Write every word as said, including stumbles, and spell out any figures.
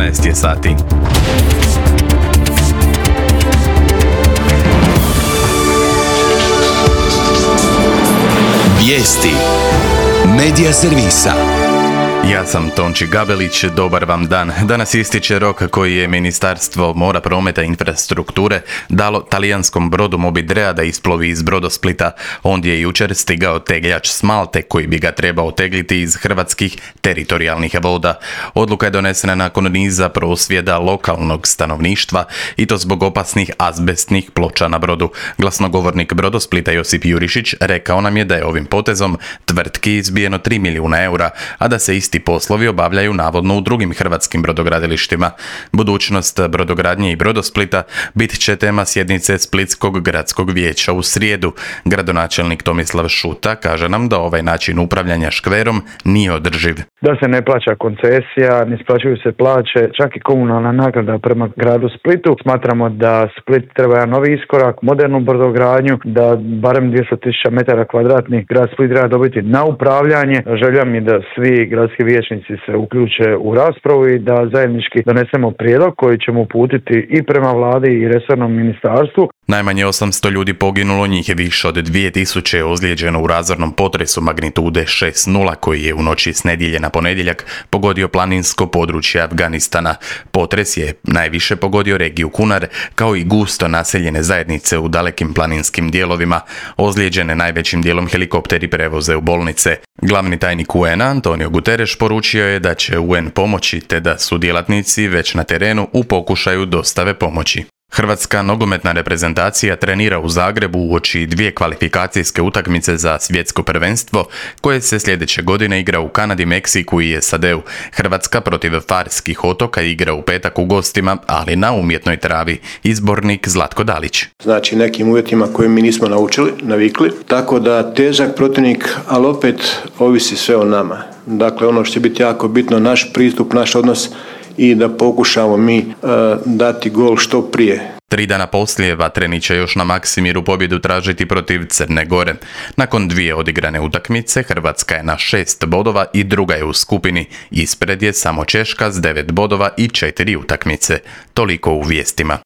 jedanaest je sati. Vijesti Medija servisa. Ja sam Tonči Gabelić, dobar vam dan. Danas ističe rok koji je Ministarstvo mora, prometa i infrastrukture dalo talijanskom brodu Mobidrea da isplovi iz Brodosplita. Ondje je jučer stigao tegljač s Malte koji bi ga trebao tegliti iz hrvatskih teritorijalnih voda. Odluka je donesena nakon niza prosvjeda lokalnog stanovništva i to zbog opasnih azbestnih ploča na brodu. Glasnogovornik Brodosplita Josip Jurišić rekao nam je da je ovim potezom tvrtki izbijeno tri milijuna eura, a da se isti poslovi obavljaju navodno u drugim hrvatskim brodogradilištima. Budućnost brodogradnje i Brodosplita bit će tema sjednice Splitskog gradskog vijeća u srijedu. Gradonačelnik Tomislav Šuta kaže nam da ovaj način upravljanja škverom nije održiv. Da se ne plaća koncesija, ne isplaćuju se plaće, čak i komunalna naknada prema gradu Splitu. Smatramo da Split treba jedan novi iskorak, modernu brodogradnju, da barem dvjesto tisuća metara kvadratnih grad Split treba dobiti na upravljanje. Želja mi da svi gradski vijećnici se uključe u raspravu i da zajednički donesemo prijedlog koji ćemo uputiti i prema vladi i resornom ministarstvu. Najmanje osamsto ljudi poginulo, njih je više od dvije tisuće ozlijeđeno u razornom potresu magnitude šest nula koji je u noći s nedjelje na ponedjeljak pogodio planinsko područje Afganistana. Potres je najviše pogodio regiju Kunar kao i gusto naseljene zajednice u dalekim planinskim dijelovima. Ozlijeđene najvećim dijelom helikopteri prevoze u bolnice. Glavni tajnik U N-a Antonio Guterres poručio je da će U N pomoći te da su djelatnici već na terenu u pokušaju dostave pomoći. Hrvatska nogometna reprezentacija trenira u Zagrebu uoči dvije kvalifikacijske utakmice za svjetsko prvenstvo koje se sljedeće godine igra u Kanadi, Meksiku i S A D-u. Hrvatska protiv Farskih otoka igra u petak u gostima, ali na umjetnoj travi. Izbornik Zlatko Dalić. Znači nekim uvjetima koje mi nismo naučili, navikli, tako da težak protivnik, ali opet ovisi sve o nama. Dakle, ono što će biti jako bitno, naš pristup, naš odnos i da pokušamo mi uh, dati gol što prije. Tri dana poslije Vatreni će još na Maksimiru pobjedu tražiti protiv Crne Gore. Nakon dvije odigrane utakmice, Hrvatska je na šest bodova i druga je u skupini. Ispred je samo Češka s devet bodova i četiri utakmice. Toliko u vijestima.